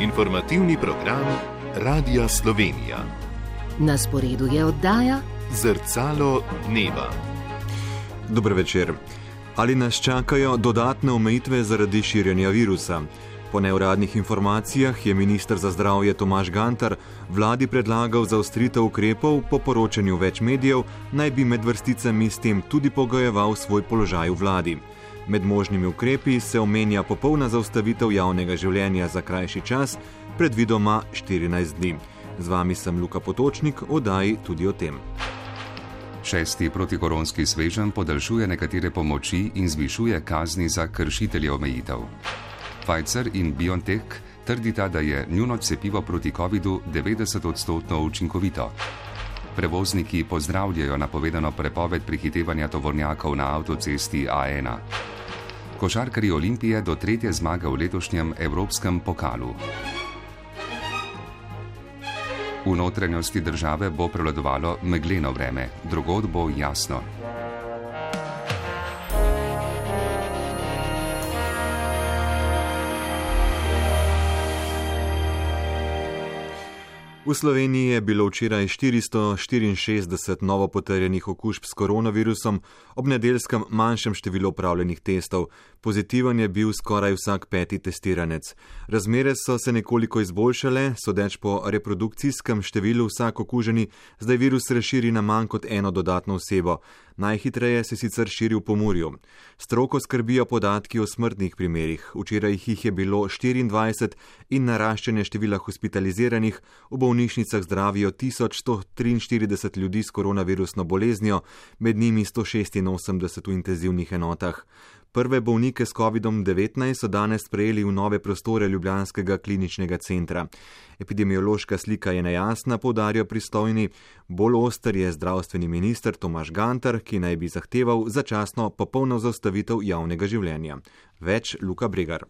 Informativni program Radia Slovenija. Na sporedu je oddaja Zrcalo dneva. Dober večer. Ali nas čakajo dodatne omejitve zaradi širjenja virusa? Po neuradnih informacijah je minister za zdravje Tomaž Gantar vladi predlagal zaostritev ukrepov, po poročanju več medijev naj bi med vrsticami s tem tudi pogojeval svoj položaj v vladi. Med možnimi ukrepi se omenja popolna zaustavitev javnega življenja za krajši čas, predvidoma 14 dni. Z vami sem Luka Potočnik, oddaji tudi o tem. 6. protikoronski sveženj podaljšuje nekatere pomoči in zvišuje kazni za kršitelje omejitev. Pfizer in BioNTech trdita, da je njuno cepivo proti covidu 90% učinkovito. Prevozniki pozdravljajo napovedano prepoved prehitevanja tovornjakov na avtocesti A1. Košarkarji Olimpije do 3. zmage v letošnjem evropskem pokalu. V notranjosti države bo prevladovalo megleno vreme, drugod bo jasno. V Sloveniji je bilo včeraj 464 novo potrjenih okužb s koronavirusom, ob nedeljskem manjšem številu opravljenih testov. Pozitiven je bil skoraj vsak 5. testiranec. Razmere so se nekoliko izboljšale, sodeč po reprodukcijskem številu vsak okuženi, zdaj virus razširi na manj kot eno dodatno osebo. Najhitreje se sicer širi v Pomurju. Stroko skrbijo podatki o smrtnih primerih. Včeraj jih je bilo 24 in naraščanje števila hospitaliziranih. V bolnišnicah zdravijo 1143 ljudi s koronavirusno boleznijo, med njimi 186 v intenzivnih enotah. Prve bolnike s COVID-19 so danes sprejeli v nove prostore ljubljanskega kliničnega centra. Epidemiološka slika je nejasna, poudarjajo pristojni. Bolj oster je zdravstveni minister Tomaž Gantar, ki naj bi zahteval začasno popolno zaustavitev javnega življenja. Več Luka Bregar.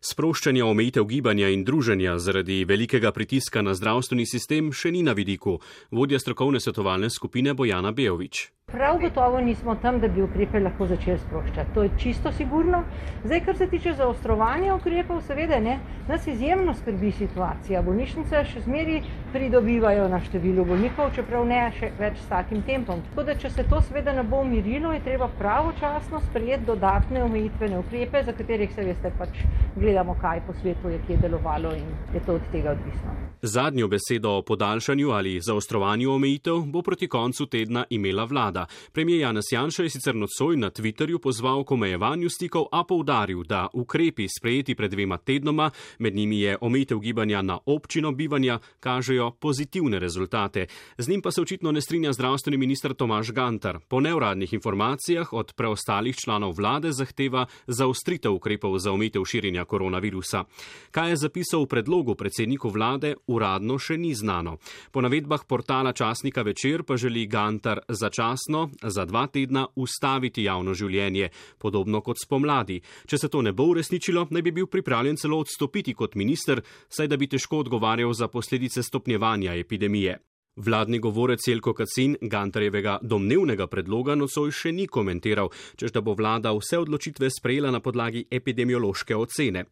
Sproščanje omejitev gibanja in druženja zaradi velikega pritiska na zdravstveni sistem še ni na vidiku, vodja strokovne svetovalne skupine Bojana Bejović. Prav gotovo nismo tam, da bi ukrepe lahko začeli sproščati. To je čisto sigurno. Zdaj, kar se tiče zaostrovanja ukrepov, seveda ne, nas izjemno skrbi situacija. Bolnišnice še zmeri pridobivajo na številu bolnikov, čeprav ne še več s takim tempom. Tako da, če se to seveda ne bo umirilo, je treba pravočasno sprejeti dodatne omejitvene ukrepe, za katerih se veste pač gledamo, kaj po svetu je kje delovalo in je to od tega odvisno. Zadnjo besedo o podaljšanju ali zaostrovanju omejitev bo proti koncu tedna imela vlada. Premijer Janez Janša je sicer nocoj na Twitterju pozval k omejevanju stikov, a poudaril, da ukrepi sprejeti pred 2 tednoma, med njimi je omejitev gibanja na občino bivanja, kažejo pozitivne rezultate. Z njim pa se očitno ne strinja zdravstveni minister Tomaž Gantar. Po neuradnih informacijah od preostalih članov vlade zahteva zaostritev ukrepov za omejitev širjenja koronavirusa. Kaj je zapisal v predlogu predsedniku vlade, uradno še ni znano. Po navedbah portala časnika Večer pa želi Gantar začasno za 2 tedna ustaviti javno življenje, podobno kot spomladi. Če se to ne bo uresničilo, naj bi bil pripravljen celo odstopiti kot minister, saj da bi težko odgovarjal za posledice stopnjevanja epidemije. Vladni govorec Jelko Kacin Gantarjevega domnevnega predloga nocoj še ni komentiral, češ da bo vlada vse odločitve sprejela na podlagi epidemiološke ocene.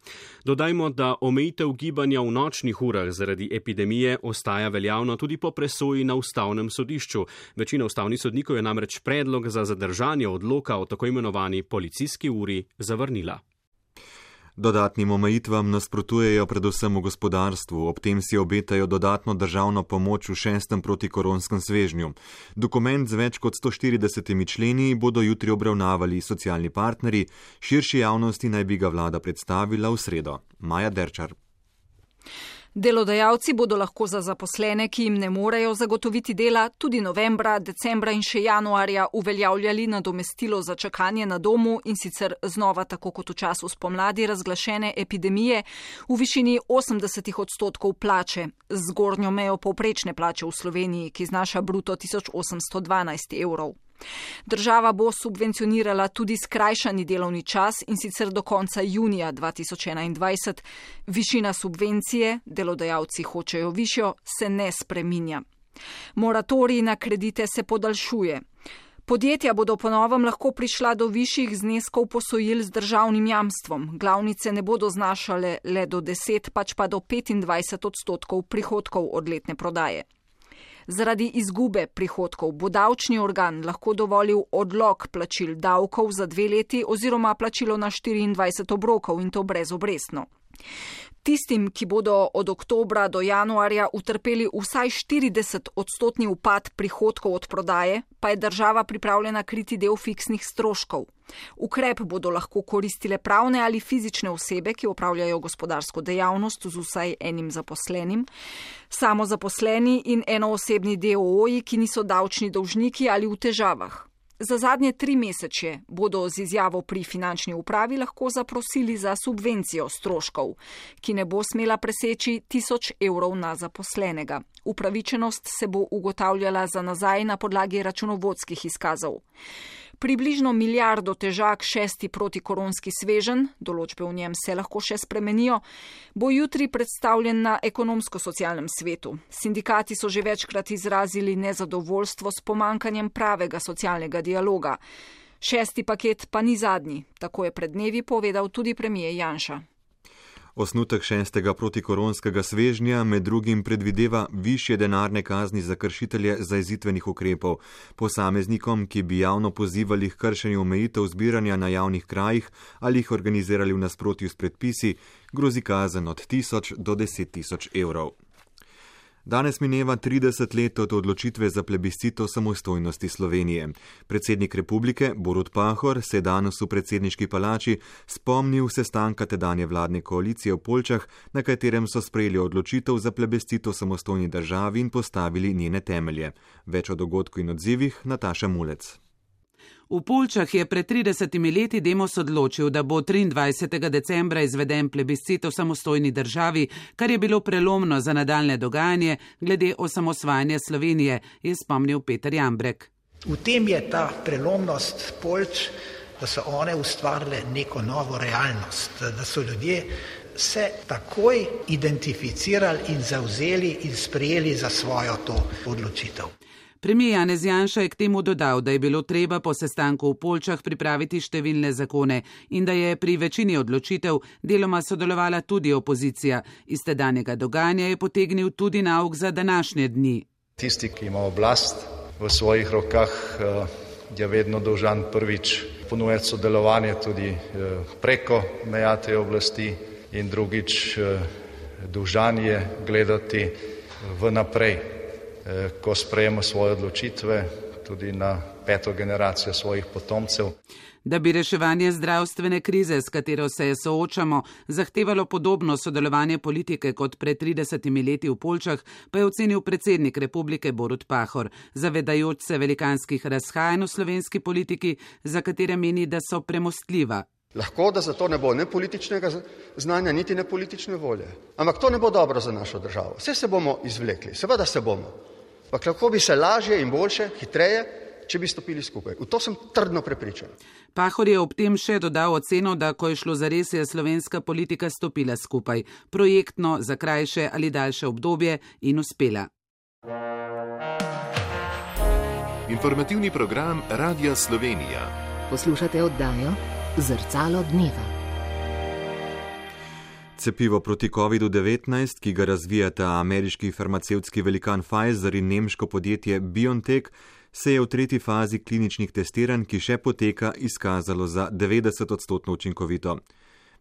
Dodajmo, da omejitev gibanja v nočnih urah zaradi epidemije ostaja veljavna tudi po presoji na ustavnem sodišču. Večina ustavnih sodnikov je namreč predlog za zadržanje odloka o tako imenovani policijski uri zavrnila. Dodatnim omejitvam nasprotujejo predvsem v gospodarstvu, ob tem si obetajo dodatno državno pomoč v 6. protikoronskem svežnju. Dokument z več kot 140 členi bodo jutri obravnavali socialni partnerji, širši javnosti naj bi ga vlada predstavila v sredo. Maja Derčar. Delodajalci bodo lahko za zaposlene, ki jim ne morejo zagotoviti dela, tudi novembra, decembra in še januarja uveljavljali nadomestilo za čakanje na domu in sicer znova tako kot v času spomladi razglašene epidemije v višini 80% plače, z zgornjo mejo povprečne plače v Sloveniji, ki znaša bruto 1812 evrov. Država bo subvencionirala tudi skrajšani delovni čas in sicer do konca junija 2021. Višina subvencije, delodajalci hočejo višjo, se ne spreminja. Moratorij na kredite se podaljšuje. Podjetja bodo po novem lahko prišla do višjih zneskov posojil z državnim jamstvom. Glavnice ne bodo znašale le do 10, pač pa do 25% prihodkov od letne prodaje. Zaradi izgube prihodkov bo davčni organ lahko dovolil odlog plačil davkov za 2 leti oziroma plačilo na 24 obrokov in to brezobrestno. Tistim, ki bodo od oktobra do januarja utrpeli vsaj 40% upad prihodkov od prodaje, pa je država pripravljena kriti del fiksnih stroškov. Ukrep bodo lahko koristile pravne ali fizične osebe, ki opravljajo gospodarsko dejavnost z vsaj enim zaposlenim, samozaposleni in enoosebni DOO-ji, ki niso davčni dolžniki ali v težavah. Za zadnje 3 mesece bodo z izjavo pri finančni upravi lahko zaprosili za subvencijo stroškov, ki ne bo smela preseči 1000 evrov na zaposlenega. Upravičenost se bo ugotavljala za nazaj na podlagi računovodskih izkazov. Približno milijardo težak 6. protikoronski sveženj, določbe v njem se lahko še spremenijo, bo jutri predstavljen na ekonomsko-socialnem svetu. Sindikati so že večkrat izrazili nezadovoljstvo s pomankanjem pravega socialnega dialoga. 6. paket pa ni zadnji, tako je pred dnevi povedal tudi premier Janša. Osnutek 6. protikoronskega svežnja med drugim predvideva višje denarne kazni za kršitelje zajezitvenih ukrepov. Posameznikom, ki bi javno pozivali k kršenju omejitev zbiranja na javnih krajih ali jih organizirali v nasprotju s predpisi, grozi kazen od 1000 do 10.000 evrov. Danes mineva 30 let od odločitve za plebiscito samostojnosti Slovenije. Predsednik republike Borut Pahor se je danes v predsedniški palači spomnil sestanka tedanje vladne koalicije v Poljčah, na katerem so sprejeli odločitev za plebiscito samostojni državi in postavili njene temelje. Več o dogodku in odzivih Nataša Mulec. V Poljčah je pred 30 leti Demos odločil, da bo 23. decembra izveden plebiscit v samostojni državi, kar je bilo prelomno za nadaljne dogajanje glede osamosvajanja Slovenije, je spomnil Peter Jambrek. V tem je ta prelomnost Poljč, da so one ustvarile neko novo realnost, da so ljudje se takoj identificirali in zavzeli in sprejeli za svojo to odločitev. Premier Janez Janša je k temu dodal, da je bilo treba po sestanku v Poljčah pripraviti številne zakone in da je pri večini odločitev deloma sodelovala tudi opozicija. Iz tedanjega dogajanja je potegnil tudi nauk za današnje dni. Tisti, ki ima oblast v svojih rokah, je vedno dolžan prvič ponujati sodelovanje tudi preko meja te oblasti in drugič dolžan je gledati vnaprej, ko sprejema svoje odločitve tudi na 5. generacijo svojih potomcev. Da bi reševanje zdravstvene krize, s katero se soočamo, zahtevalo podobno sodelovanje politike kot pred 30 leti v Poljčah, pa je ocenil predsednik republike Borut Pahor, zavedajoč se velikanskih razhajanj v slovenski politiki, za katere meni, da so premostljiva. Lahko, da za to ne bo ne političnega znanja, niti ne politične volje. Ampak to ne bo dobro za našo državo. Vse se bomo izvlekli, seveda se bomo. Ampak lahko bi se lažje in boljše, hitreje, če bi stopili skupaj. V to sem trdno prepričan. Pahor je ob tem še dodal oceno, da ko je šlo zares, je slovenska politika stopila skupaj, projektno, za krajše ali daljše obdobje in uspela. Informativni program Radia Slovenija. Poslušate oddajo Zrcalo dneva. Cepivo proti COVID-19, ki ga razvijata ameriški farmacevtski velikan Pfizer in nemško podjetje BioNTech, se je v 3. fazi kliničnih testiranj, ki še poteka, izkazalo za 90% učinkovito.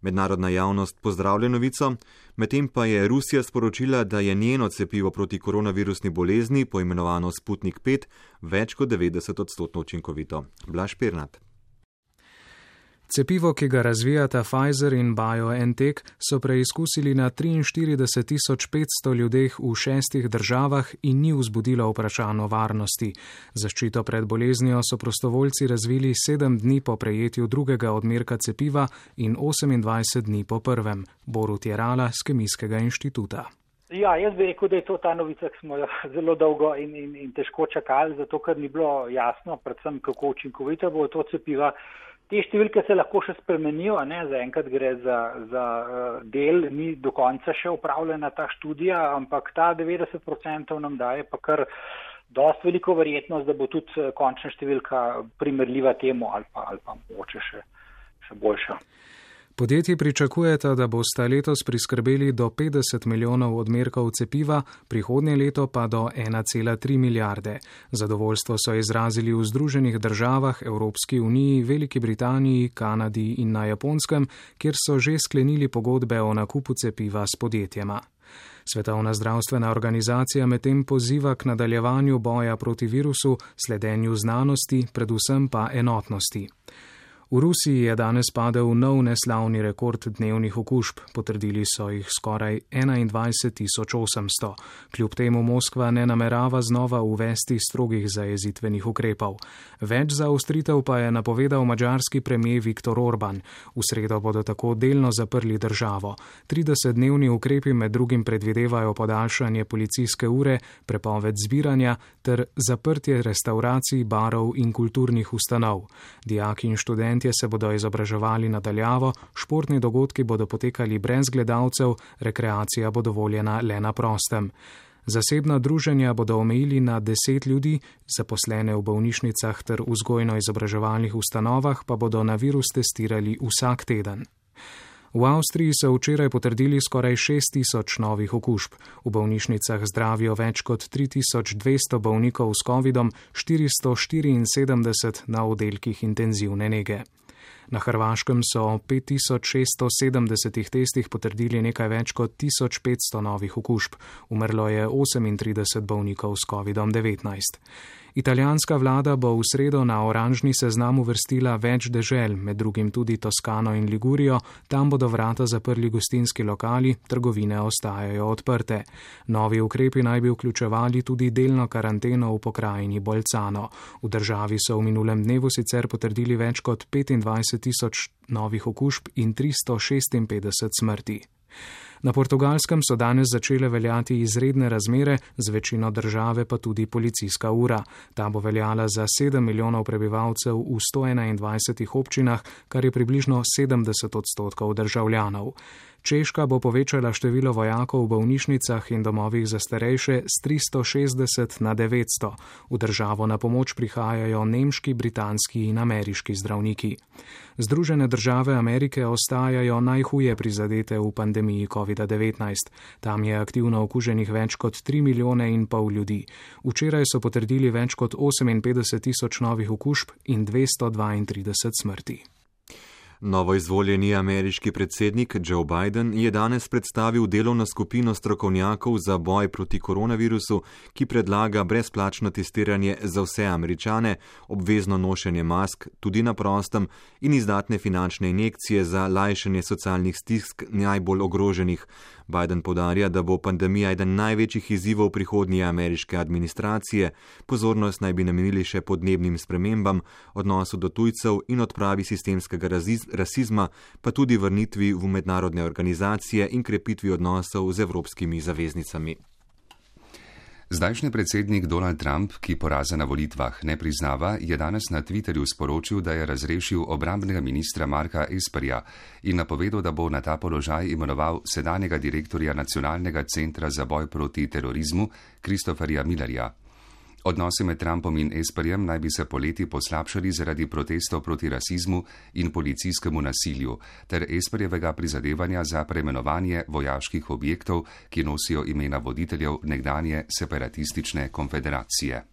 Mednarodna javnost pozdravlja novico, medtem pa je Rusija sporočila, da je njeno cepivo proti koronavirusni bolezni, poimenovano Sputnik 5, več kot 90% učinkovito. Blaž Pirnat. Cepivo, ki ga razvijata Pfizer in BioNTech, so preizkusili na 43.500 ljudeh v 6 državah in ni vzbudilo vprašanj o varnosti. Zaščito pred boleznijo so prostovoljci razvili 7 dni po prejetju drugega odmerka cepiva in 28 dni po prvem. Borut Jerala z Kemijskega inštituta. Ja, jaz bi rekel, da je to ta novica, ki smo jo zelo dolgo in težko čakali, zato ker ni bilo jasno, predvsem kako učinkovito bo to cepiva. Te številke se lahko še spremenijo, zaenkrat gre za del, ni do konca še upravljena ta študija, ampak ta 90% nam daje pa kar dosti veliko verjetnost, da bo tudi končna številka primerljiva temu ali pa mogoče še boljša. Podjetji pričakujeta, da bosta letos priskrbeli do 50 milijonov odmerkov cepiva, prihodnje leto pa do 1,3 milijarde. Zadovoljstvo so izrazili v Združenih državah, Evropski uniji, Veliki Britaniji, Kanadi in na Japonskem, kjer so že sklenili pogodbe o nakupu cepiva s podjetjema. Svetovna zdravstvena organizacija medtem poziva k nadaljevanju boja proti virusu, sledenju znanosti, predvsem pa enotnosti. V Rusiji je danes padel nov neslavni rekord dnevnih okužb, potrdili so jih skoraj 21.800. Kljub temu Moskva ne namerava znova uvesti strogih zajezitvenih ukrepov. Več zaostritev pa je napovedal madžarski premijer Viktor Orban. V sredo bodo tako delno zaprli državo. 30-dnevni ukrepi med drugim predvidevajo podaljšanje policijske ure, prepoved zbiranja ter zaprtje restauracij, barov in kulturnih ustanov. Dijaki in študenti se bodo izobraževali nadaljavo, športni dogodki bodo potekali brez gledalcev, rekreacija bo dovoljena le na prostem. Zasebna druženja bodo omejili na 10 ljudi, zaposlene v bolnišnicah ter vzgojno-izobraževalnih ustanovah pa bodo na virus testirali vsak teden. V Avstriji so včeraj potrdili skoraj 6.000 novih okužb. V bolnišnicah zdravijo več kot 3.200 bolnikov s COVID-om, 474 na oddelkih intenzivne nege. Na Hrvaškem so 5.670 testih potrdili nekaj več kot 1.500 novih okužb. Umrlo je 38 bolnikov s COVID-19. Italijanska vlada bo v sredo na oranžni seznam uvrstila več dežel, med drugim tudi Toskano in Ligurijo, tam bodo vrata zaprli gostinski lokali, trgovine ostajajo odprte. Novi ukrepi naj bi vključevali tudi delno karanteno v pokrajini Bolzano. V državi so v minulem dnevu sicer potrdili več kot 25.000 novih okužb in 356 smrti. Na Portugalskem so danes začele veljati izredne razmere, z večino države pa tudi policijska ura. Ta bo veljala za 7 milijonov prebivalcev v 121 občinah, kar je približno 70% državljanov. Češka bo povečala število vojakov v bolnišnicah in domovih za starejše z 360 na 900. V državo na pomoč prihajajo nemški, britanski in ameriški zdravniki. Združene države Amerike ostajajo najhuje prizadete v pandemiji COVID-19. Tam je aktivno okuženih več kot 3,5 milijona ljudi. Včeraj so potrdili več kot 58.000 novih okužb in 232 smrti. Novoizvoljeni ameriški predsednik Joe Biden je danes predstavil delovno skupino strokovnjakov za boj proti koronavirusu, ki predlaga brezplačno testiranje za vse Američane, obvezno nošenje mask tudi na prostem in izdatne finančne injekcije za lajšanje socialnih stisk najbolj ogroženih. Biden poudarja, da bo pandemija eden največjih izzivov prihodnje ameriške administracije. Pozornost naj bi namenili še podnebnim spremembam, odnosu do tujcev in odpravi sistemskega rasizma, pa tudi vrnitvi v mednarodne organizacije in krepitvi odnosov z evropskimi zaveznicami. Zdajšnji predsednik Donald Trump, ki poraza na volitvah ne priznava, je danes na Twitterju sporočil, da je razrešil obrambnega ministra Marka Esperja in napovedal, da bo na ta položaj imenoval sedanjega direktorja Nacionalnega centra za boj proti terorizmu Christopherja Millerja. Odnosi med Trumpom in Esperjem naj bi se poleti poslabšali zaradi protestov proti rasizmu in policijskemu nasilju ter Esperjevega prizadevanja za preimenovanje vojaških objektov, ki nosijo imena voditeljev nekdanje separatistične konfederacije.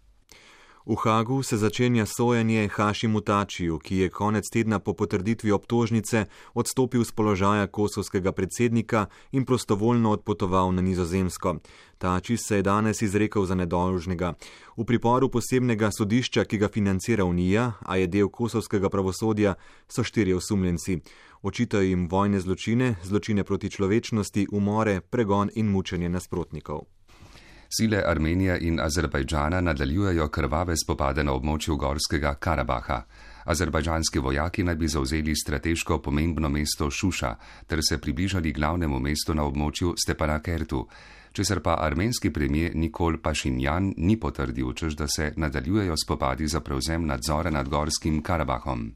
V Hagu se začenja sojenje Hašimu Tačiju, ki je konec tedna po potrditvi obtožnice odstopil z položaja kosovskega predsednika in prostovoljno odpotoval na Nizozemsko. Tači se je danes izrekel za nedolžnega. V priporu posebnega sodišča, ki ga financira Unija, a je del kosovskega pravosodja, so 4 osumljenci. Očitajo jim vojne zločine, zločine proti človečnosti, umore, pregon in mučenje nasprotnikov. Sile Armenije in Azerbajdžana nadaljujejo krvave spopade na območju Gorskega Karabaha. Azerbajdžanski vojaki naj bi zavzeli strateško pomembno mesto Šuša ter se približali glavnemu mestu na območju Stepanakertu, česar pa armenski premijer Nikol Pašinjan ni potrdil, češ da se nadaljujejo spopadi za prevzem nadzora nad Gorskim Karabahom.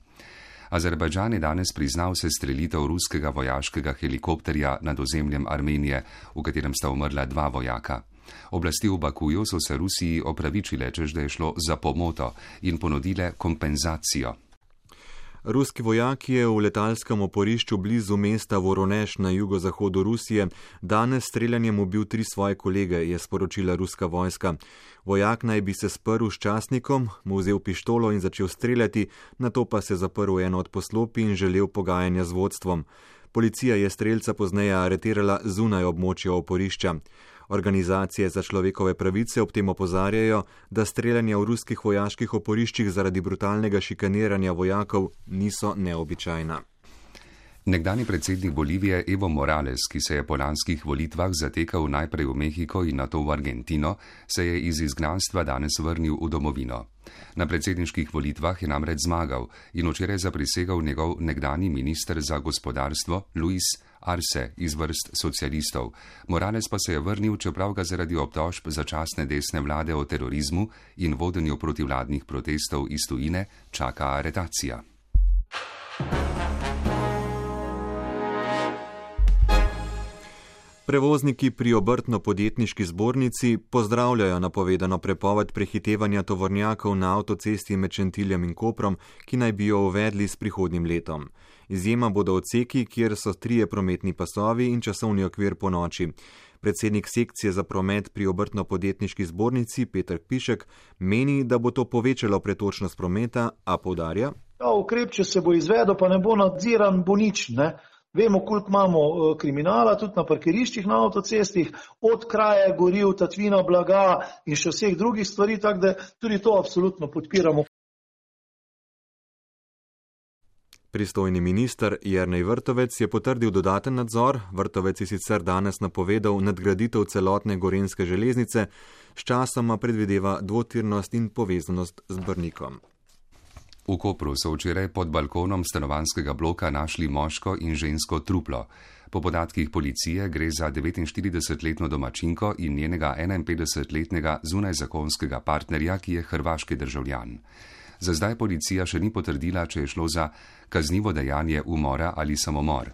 Azerbajdžan je danes priznal sestrelitev ruskega vojaškega helikopterja nad ozemljem Armenije, v katerem sta umrla 2 vojaka. Oblasti v Bakuju so se Rusiji opravičile, češ da je šlo za pomoto in ponudile kompenzacijo. Ruski vojak je v letalskem oporišču blizu mesta Voronezh na jugozahodu Rusije danes streljanjem ubil 3 svoje kolege, je sporočila ruska vojska. Vojak naj bi se sprl s častnikom, mu vzel pištolo in začel streljati, nato pa se zaprl eno od poslopij in želel pogajanja z vodstvom. Policija je strelca pozneje aretirala zunaj območja oporišča. Organizacije za človekove pravice ob tem opozarjajo, da streljanja v ruskih vojaških oporiščih zaradi brutalnega šikaniranja vojakov niso neobičajna. Nekdanji predsednik Bolivije Evo Morales, ki se je po lanskih volitvah zatekal najprej v Mehiko in nato v Argentino, se je iz izgnanstva danes vrnil v domovino. Na predsedniških volitvah je namreč zmagal in včeraj zaprisegal njegov nekdanji minister za gospodarstvo Luis Arce iz vrst socialistov. Morales pa se je vrnil, čeprav ga zaradi obtožb začasne desne vlade o terorizmu in vodenju protivladnih protestov iz tujine čaka aretacija. Prevozniki pri obrtno-podjetniški zbornici pozdravljajo napovedano prepoved prehitevanja tovornjakov na avtocesti med Šentiljem in Koprom, ki naj bi jo uvedli s prihodnjim letom. Izjema bodo odseki, kjer so 3 prometni pasovi in časovni okvir po noči. Predsednik sekcije za promet pri obrtno-podjetniški zbornici Peter Pišek meni, da bo to povečalo pretočnost prometa, a poudarja: ukrep, če se bo izvedel, pa ne bo nadziran, bo nič, ne? Vemo, koliko imamo kriminala tudi na parkiriščih na avtocestih, od kraje goriv, tatvina blaga in še vseh drugih stvari, tako da tudi to absolutno podpiramo. Pristojni minister Jernej Vrtovec je potrdil dodaten nadzor. Vrtovec je sicer danes napovedal nadgraditev celotne gorenjske železnice, sčasoma predvideva dvotirnost in povezanost z Brnikom. V Kopru so včeraj pod balkonom stanovanjskega bloka našli moško in žensko truplo. Po podatkih policije gre za 49-letno domačinko in njenega 51-letnega zunajzakonskega partnerja, ki je hrvaški državljan. Za zdaj policija še ni potrdila, če je šlo za kaznivo dejanje umora ali samomor.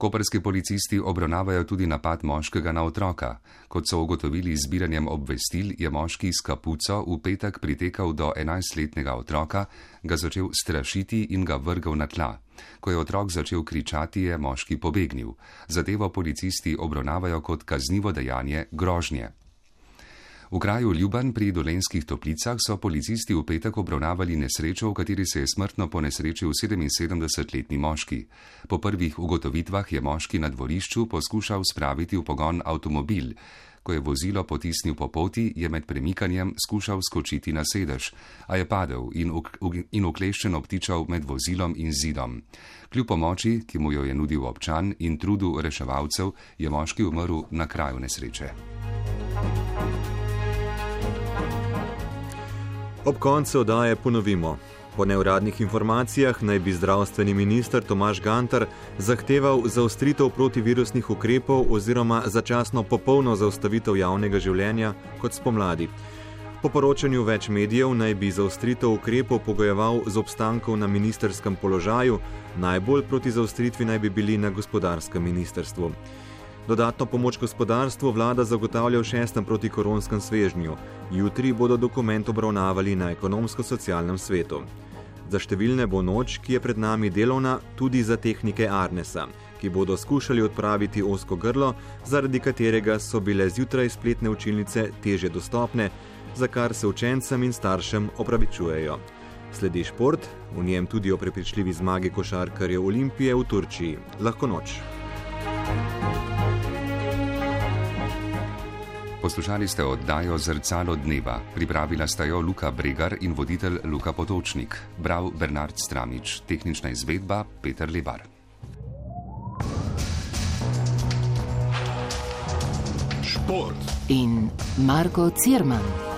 Koprski policisti obravnavajo tudi napad moškega na otroka. Kot so ugotovili z zbiranjem obvestil, je moški s kapuco v petek pritekal do 11-letnega otroka, ga začel strašiti in ga vrgal na tla. Ko je otrok začel kričati, je moški pobegnil. Zadevo policisti obravnavajo kot kaznivo dejanje grožnje. V kraju Ljuban pri Dolenjskih Toplicah so policisti v petek obravnavali nesrečo, v kateri se je smrtno ponesrečil 77-letni moški. Po prvih ugotovitvah je moški na dvorišču poskušal spraviti v pogon avtomobil. Ko je vozilo potisnil po poti, je med premikanjem skušal skočiti na sedež, a je padel in ukleščen obtičal med vozilom in zidom. Kljub pomoči, ki mu jo je nudil občan, in trudu reševalcev, je moški umrl na kraju nesreče. Ob koncu oddaje ponovimo. Po neuradnih informacijah naj bi zdravstveni minister Tomaž Gantar zahteval zaostritev protivirusnih ukrepov oziroma začasno popolno zaustavitev javnega življenja kot spomladi. Po poročanju več medijev naj bi zaostritev ukrepov pogojeval z obstankom na ministrskem položaju, najbolj proti zaostritvi naj bi bili na gospodarskem ministrstvu. Dodatno pomoč gospodarstvu vlada zagotavlja v 6. protikoronskem svežnju. Jutri bodo dokument obravnavali na ekonomsko-socialnem svetu. Za številne bo noč, ki je pred nami delovna, tudi za tehnike Arnesa, ki bodo skušali odpraviti ozko grlo, zaradi katerega so bile zjutraj spletne učilnice težje dostopne, za kar se učencem in staršem opravičujejo. Sledi šport, v njem tudi o prepričljivi zmagi košarkarjev Olimpije v Turčiji. Lahko noč. Poslušali ste oddajo Zrcalo dneva. Pripravila sta jo Luka Bregar in voditelj Luka Potočnik. Bral Bernard Stramič. Tehnična izvedba Peter Lebar. Šport in Marko Cirman.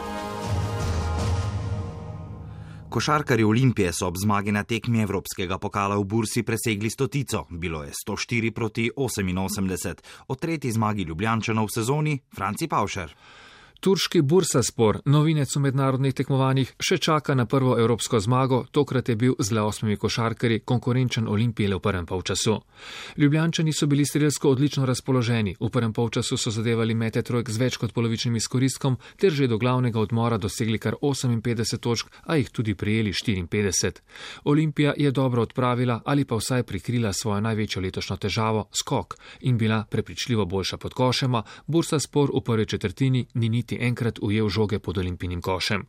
Košarkarji Olimpije so ob zmagi na tekmi Evropskega pokala v Bursi presegli stotico. Bilo je 104-88. O tretji zmagi Ljubljančanov v sezoni Franci Pavšer. Turški Bursaspor, novinec v mednarodnih tekmovanjih, še čaka na prvo evropsko zmago, tokrat je bil z le 8 košarkarji konkurenčen Olimpiji le v prvem polčasu. Ljubljančani so bili strelsko odlično razpoloženi, v prvem polčasu so zadevali mete trojk z več kot polovičnim izkoristkom, ter že do glavnega odmora dosegli kar 58 točk, a jih tudi prijeli 54. Olimpija je dobro odpravila ali pa vsaj prikrila svojo največjo letošnjo težavo, skok, in bila prepričljivo boljša pod košema. Bursaspor v prvi četrtini ni niti enkrat ujel žoge pod Olimpijinim košem.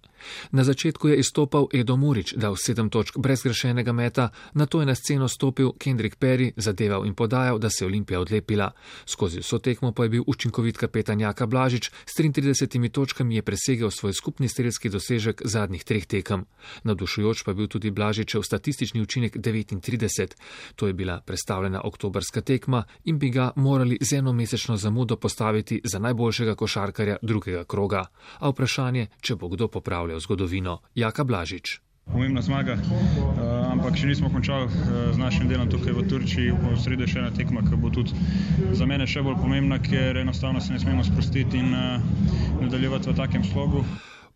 Na začetku je izstopal Edo Murić, dal 7 točk brez zgrešenega meta, nato je na sceno stopil Kendrick Perry, zadeval in podajal, da se je Olimpija odlepila. Skozi vso tekmo pa je bil učinkovit kapetan Jaka Blažič, s 33 točkami je presegel svoj skupni strelski dosežek zadnjih 3 tekem. Navdušujoč pa je bil tudi Blažičev statistični učinek 39. To je bila prestavljena oktobrska tekma in bi ga morali z enomesečno zamudo postaviti za najboljšega košarkarja drugega kroga. A vprašanje, če bo kdo popravljal zgodovino. Jaka Blažič. Pomembna zmaga, ampak še nismo končali z našim delom tukaj v Turčiji. V sredo še ena tekma, ki bo tudi za mene še bolj pomembna, ker enostavno se ne smemo sprostiti in nadaljevati v takem slogu.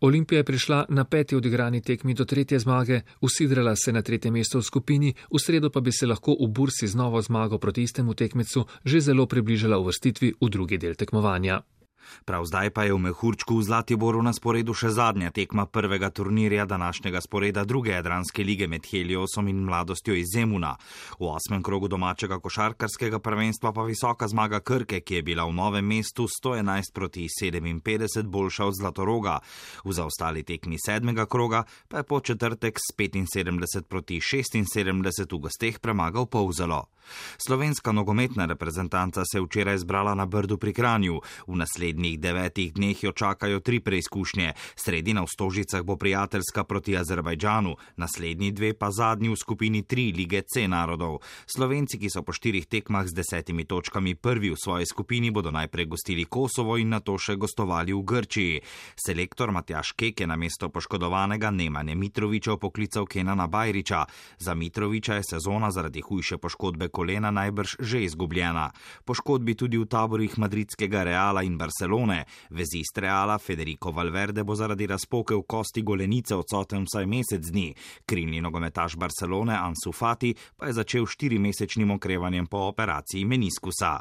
Olimpija je prišla na 5. odigrani tekmi do 3. zmage, usidrala se na 3. mesto v skupini, v sredo pa bi se lahko v Bursi z novo zmago proti istemu tekmecu že zelo približala uvrstitvi v drugi del tekmovanja. Prav zdaj pa je v Mehurčku v Zlatiboru na sporedu še zadnja tekma prvega turnirja današnjega sporeda druge jadranske lige med Heliosom in Mladostjo iz Zemuna. V 8. krogu domačega košarkarskega prvenstva pa visoka zmaga Krke, ki je bila v Novem mestu 111 proti 57 boljša od Zlatoroga. V zaostali tekmi 7. kroga pa je po četrtek s 75 proti 76 v gosteh premagal Polzelo. Slovenska nogometna reprezentanca se je včeraj zbrala na Brdu pri Kranju. V naslednjih 9 dneh jo čakajo 3 preizkušnje. Sredina v Stožicah bo prijateljska proti Azerbajdžanu, naslednji 2 pa zadnji v skupini 3 lige C narodov. Slovenci, ki so po 4 tekmah z 10 točkami prvi v svoji skupini, bodo najprej gostili Kosovo in nato še gostovali v Grčiji. Selektor Matjaž Kek je namesto poškodovanega Nemanje Mitrovića poklical Kenana Bajrića. Za Mitrovića je sezona zaradi hujše poškodbe kolena najbrž že izgubljena. Poškodbi tudi v taborih madridskega Reala in Barcelone. Vezist Reala Federico Valverde bo zaradi razpoke v kosti golenice odsoten vsaj mesec dni. Krilni nogometaš Barcelone Ansu Fati pa je začel 4-mesečnim okrevanjem po operaciji meniskusa.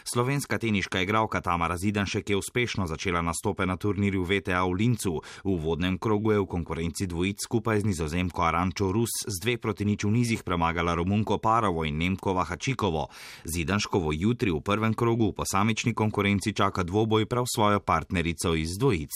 Slovenska teniška igralka Tamara Zidanšek je uspešno začela nastope na turnirju VTA v Lincu. V uvodnem krogu je v konkurenci dvojic skupaj z Nizozemko Arančo Rus z 2-0 v nizih premagala Romunko Parovo in Nemko Vahačikovo. Zidanškovo jutri v prvem krogu v posamični konkurenci čaka dvoboj prav svojo partnerico iz dvojic.